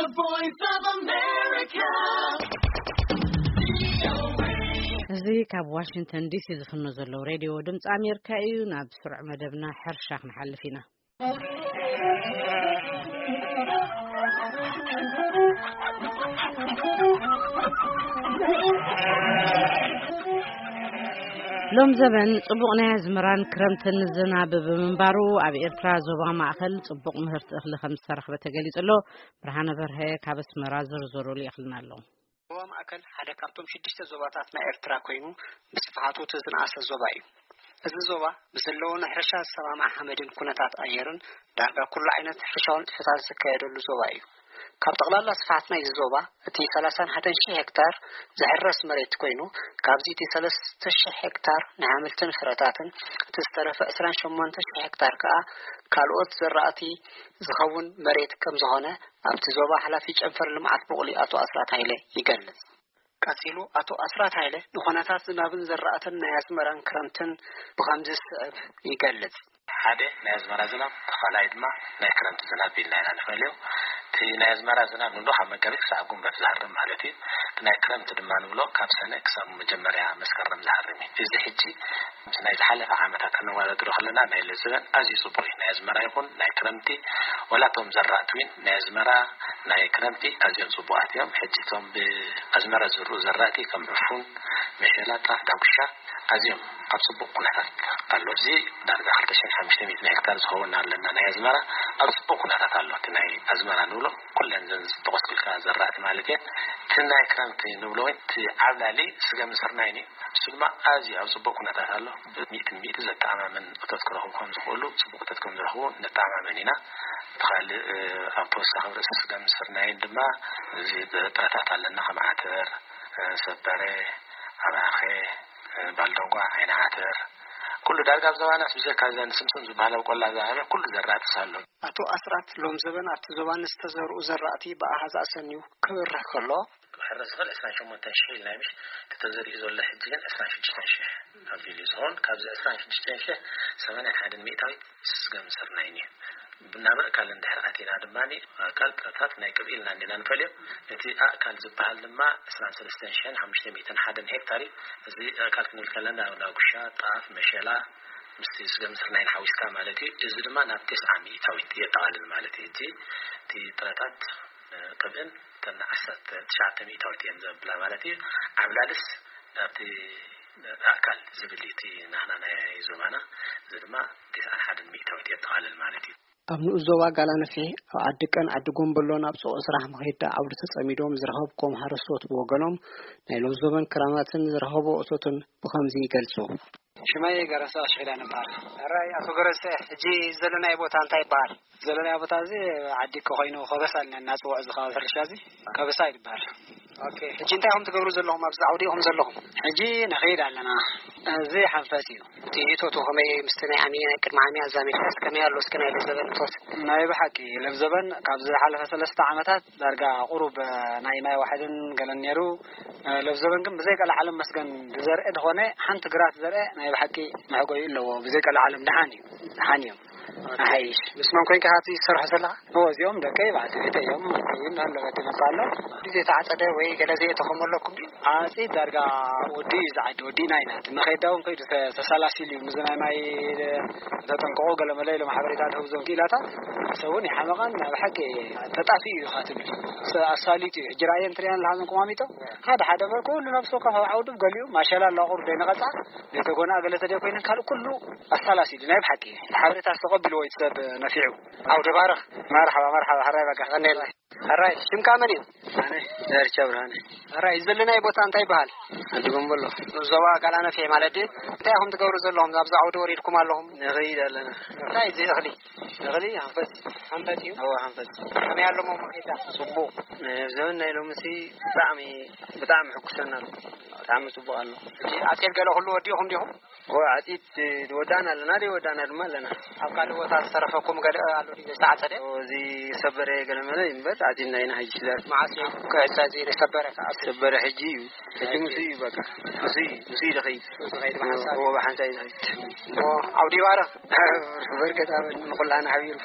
The Voice of America. እዚ ካብ ዋሽንግተን ዲሲ ዝፍኖ ዘለዉ ሬድዮ ድምፂ ኣሜሪካ እዩ። ናብ ስሩዕ መደብና ሕርሻ ክንሓልፍ ኢና። ሎም ዘበን ጽቡቕ ናይ ኣዝመራን ክረምትን ዝናብ ብምንባሩ፣ ኣብ ኤርትራ ዞባ ማእከል ጽቡቕ ምህርቲ እኽሊ ከም ዝተረኽበ ተገሊጹ ኣሎ። ብርሃነ በርሀ ካብ ኣስመራ ዝርዝሩ ልኢኽልና ኣሎ። ዞባ ማእከል ሓደ ካብቶም ሽዱሽተ ዞባታት ናይ ኤርትራ ኮይኑ፣ ብስፍሓቱ እቲ ዝነኣሰ ዞባ እዩ። እዚ ዞባ ብዘለዎ ንሕርሻ ዝሰማማዕ ሓመድን ኩነታት ኣየርን፣ ዳርጋ ኩሉ ዓይነት ሕርሻዊ ንጥፈታት ዝካየደሉ ዞባ እዩ። ካብ ጠቕላላ ስፍሓት ናይዚ ዞባ፣ እቲ ሰላሳን ሓደን ሺሕ ሄክታር ዝሕረስ መሬት ኮይኑ፣ ካብዚ እቲ ሰለስተ ሺሕ ሄክታር ናይ ኣሕምልትን ፍረታትን፣ እቲ ዝተረፈ ዕስራን ሸሞንተ ሺሕ ሄክታር ከኣ ካልኦት ዘራእቲ ዝኸውን መሬት ከም ዝኾነ፣ ኣብቲ ዞባ ሓላፊ ጨንፈር ልምዓት ቡቕሊ ኣቶ ኣስራት ሃይለ ይገልጽ። ቀጺሉ ኣቶ ኣስራት ሃይለ ንኹነታት ዝናብን ዘራእትን ናይ ኣዝመራን ክረምትን ብኸምዚ ዝስዕብ ይገልጽ። ሓደ ናይ ኣዝመራ ዝናብ፣ እቲ ካልኣይ ድማ ናይ ክረምቲ ዝናብ ኢልና ኢና ንፈልዮ። እቲ ናይ ኣዝመራ ዝናብ ንብሎ ካብ መጋቢት ክሳብ ጉንበት ዝሃርም ማለት እዩ። እቲ ናይ ክረምቲ ድማ ንብሎ ካብ ሰነ ክሳብ መጀመርያ መስከረም ዝሃርም እዩ። እዚ ሕጂ ምስ ናይ ዝሓለፈ ዓመታት ከነወዳድሮ ከለና ናይ ለዝበን ኣዝዩ ጽቡቕ እዩ። ናይ ኣዝመራ ይኹን ናይ ክረምቲ፣ ወላ እቶም ዘራእቲ እውን ናይ ኣዝመራ ናይ ክረምቲ ኣዝዮም ጽቡቓት እዮም። ሕጂ እቶም ብኣዝመራ ዝዝርኡ ዘራእቲ ከም ዕፉን፣ መሸላ፣ ጣፍ፣ ዳጉሻ ኣዝዮም ኣብ ጽቡቕ ኩነታት ኣሎ። እዚ ዳርጋ ክልተ ሽሕን ሓሙሽተ ሚእትን ሄክታር ዝኸውን ኣለና ናይ ኣዝመራ ኣብ ጽቡቕ ኩነታት ኣሎ። እቲ ናይ ኣዝመራ ንብሎ ኩለን ዘን ዝጠቐስኩልካ ዘራእቲ ማለት እየን። እቲ ናይ ክረምቲ ንብሎ እውን እቲ ዓብላሊ ስገም ስርናይን እዩ። እሱ ድማ ኣዝዩ ኣብ ጽቡቕ ኩነታት ኣሎ። ብሚእቲ ሚእቲ ዘተኣማምን እቶት ክረኽቡ ከም ዝኽእሉ፣ ጽቡቕ እቶት ከም ዝረኽቡ ንተኣማመን ኢና። እቲ ካልእ፣ እ፣ ኣብ ተወሳኺ ኣብ ርእሲ ስገም ስርናይን ድማ እዚ ጥረታት ኣለና፣ ከም ዓተር፣ እ፣ ሰበረ፣ ኣባኸ፣ እ፣ ባልደንጓ፣ ዓይኒ ዓተር፣ ኩሉ ዳርጋ ኣብ ዞባናስ ብዘይካ እዘን ስምስም ዝበሃላ ኣብ ቆላ ዝዓበየ ኩሉ ዘራእትስ ኣሎ። ኣቶ ኣስራት ሎም ዘበን ኣብቲ ዞባ ንዝተዘርኡ ዘራእቲ ብኣሃዝ ኣሰንዩ ክብርህ ከሎ፣ ክሕረስ ዝኽእል ዕስራን ሸሞንተን ሽሕ ኢልና እዩ፣ ምሽ? እቲ ተዘሪኡ ዘሎ ሕጂ ግን ዕስራን ሽዱሽተን ሽሕ ኣቢሉ እዩ ዝኸውን። ካብዚ ዕስራን ሽዱሽተን ሽሕ፣ ሰማንያን ሓደን ሚእታዊት ስገም ስርናይን እዩ። ናብ ኣእካል እንድሕር ኣቲና ድማ፣ ኣእካል ጥረታት ናይ ቅብኢ ኢልና እንዲና ንፈልዮ። እቲ ኣእካል ዝበሃል ድማ ዕስራን ሰለስተን ሽሕን ሓሙሽተ ሚእትን ሓደን ሄክታር እዩ። እዚ ኣእካል ክንብል ከለና፣ ዳጉሻ፣ ጣፍ፣ መሸላ፣ ምስቲ ስገም ስርናይን ሓዊስካ ማለት እዩ። እዚ ድማ ናብ ተስዓ ሚእታዊት የጠቓልል ማለት እዩ። እቲ፣ እቲ ጥረታት ቅብእን እተን ዓሰርተ ትሽዓተ ሚእታዊት እየን ዘብላ ማለት እዩ። ዓብላልስ ኣብቲ ኣእካል ዝብል እዩ እቲ ናህና ናይ ዞባና፣ እዚ ድማ ተስዓን ሓደን ሚእታዊት የጠቓልል ማለት እዩ። ኣብ ንኡስ ዞባ ጋላነፍሒ፣ ኣብ ዓዲ ቀን፣ ዓዲ ጎምበሎን ኣብ ሱቕ ስራሕ መኸዳ ዓውዲ ተጸሚዶም ዝረኸብኩም ሓረስቶት ብወገኖም፣ ናይ ሎም ዘበን ክራማትን ዝረኸቦ እቶትን ብኸምዚ ይገልጹ። ሽመይ ገረሰ ኣሽኺላ ነባር። ሕራይ ኣቶ ገረሰ፣ ሕጂ ዘለናዮ ቦታ እንታይ ይበሃል? ዘለናዮ ቦታ እዚ ዓዲ እኮ ኮይኑ ከበሳ ኢልና እናፅውዖ እዚ ከባቢ ሕርሻ እዚ ከበሳ ይበሃል። ኦኬ፣ ሕጂ እንታይ ኢኹም ትገብሩ ዘለኹም ኣብዚ ዓውዲ ኢኹም ዘለኹም? ሕጂ ንኸይድ ኣለና። እዚ ሓንፈት እዩ። እቲ እቶቱ ከመይ ምስቲ ናይ ዓሚ ናይ ቅድሚ ዓሚ ኣዛሚድካስ ከመይ ኣሎ እስኪ ናይ ለዘበን እቶት? ናይ ብሓቂ ለብዘበን ካብ ዝሓለፈ ሰለስተ ዓመታት ዳርጋ ቁሩብ ናይ ማይ ዋሕድን ገለን ነይሩ። ለብዘበን ግን ብዘይ ቀልዓለም መስገን ዝዘርአ ዝኾነ ሓንቲ ግራት ዘርአ ናይ ብሓቂ መሕጎዩ ኣለዎ። ብዘይ ቀልዓለም ደሓን እዩ። ደሓን እዮም። ኣሓይሽ። ምስ መን ኮይንካ ኢኻ እቲ ዝሰርሖ ዘለኻ? እዎ፣ እዚኦም ደቀይ፣ በዓልቲ ቤተይ እዮም። እውን ኣሎ፣ በቲ መጽእ ኣሎ። ግዜ ተዓጸደ ወይ ገለ ዘየእተኹም ኣለኩም ድዩ? ዓጺድ ዳርጋ ወዲ እዩ ዝዓዲ፣ ወዲእና ኢና። እቲ መኸዳ እውን ከይዱ ተ-፣ ተሰላሲሉ እዩ። ምስዚ ናይ ማይ ተጠንቀቑ፣ ገለ መለ ኢሎም ሓበሬታ ዝህቡ እዞም ክኢላታት፣ ሰብ እውን ይሓመቐን፣ ናይ ብሓቂ ተጣፊኡ እዩ ኢኻ ትብል። ሰ-፣ ኣሳሊጡ እዩ። ሕጂ ርኣየን ትሪኣን ኣለኻ፣ እዞም ቁማሚጦ? ሓደ ሓደ እምበር ኩሉ ነብሲ ወከፍ ኣብ ዓውዱ፣ ገሊኡ ማሸላ ኣሎ፣ ቁሩብ ደይነቐጻ፣ ዘይተጎንኣ ገለ ተደይ ኮይነን፣ ካልእ ኩሉ ኣሳላሲሉ፣ ናይ ብሓቂ ሓበሬታ ዝተቐቢልዎ እዩ እቲ ሰብ ነፊዑ። ዓውደ ባርኽ። መርሓባ፣ መርሓባ፣ ሕራይ በቃ፣ ቀንየልና። ሕራይ፣ ሽምካ መን እዩ? ኣነ ዳርቻ ብርሃነ። ሕራይ፣ እዚ ዘለናዮ ቦታ እንታይ ይበሃል? ዓዲ ጎምበሎ። ዞባ ጋላነፍሒ ማለት ድዩ? እንታይ ኢኹም ትገብሩ ዘለኹም? ኣብዚ ዓውዲ ወሪድኩም ኣለኹም? ንኸይድ ኣለና። እንታይ እዚ እኽሊ? እኽሊ ሓንፈት። ሓንፈት እዩ? እወ፣ ሓንፈት። ከመይ ኣሎ መኸዳ? ጽቡቕ። ናይ ዘበን ናይ ሎምሲ ብጣዕሚ፣ ብጣዕሚ ሕጉሰና ኣሎ። ብጣዕሚ ጽቡቕ ኣሎ። ሕጂ ዓጺድ ገለ ኩሉ ወዲእኹም ዲኹም? እወ፣ ዓጺድ ወዳእና ኣለና፣ ደይ ወዳእና ድማ ኣለና። ኣብ ካልእ ቦታ ዝተረፈኩም ገለ ኣሎ ድዩ ዘይተዓጸደ? እወ፣ እዚ ሰበረ ገለ መለ እዩ እምበር፣ ዓጺድና ኢና ሕጂ ስለ። መዓስ እዩ ክዕጸ እዚ ሰበረ ከኣ? ሰበረ ሕጂ እዩ። ሕጂ ምስ እዩ በቃ። ምስ እዩ፣ ምስ እዩ ዝኸይድ። ዝኸይድ ብሓንሳብ። እወ፣ ብሓንሳብ እዩ ዝኸይድ። እወ፣ ዓውዲ ይባረኽ። በርከት ኣበል ንኹላና ሓቢሩ።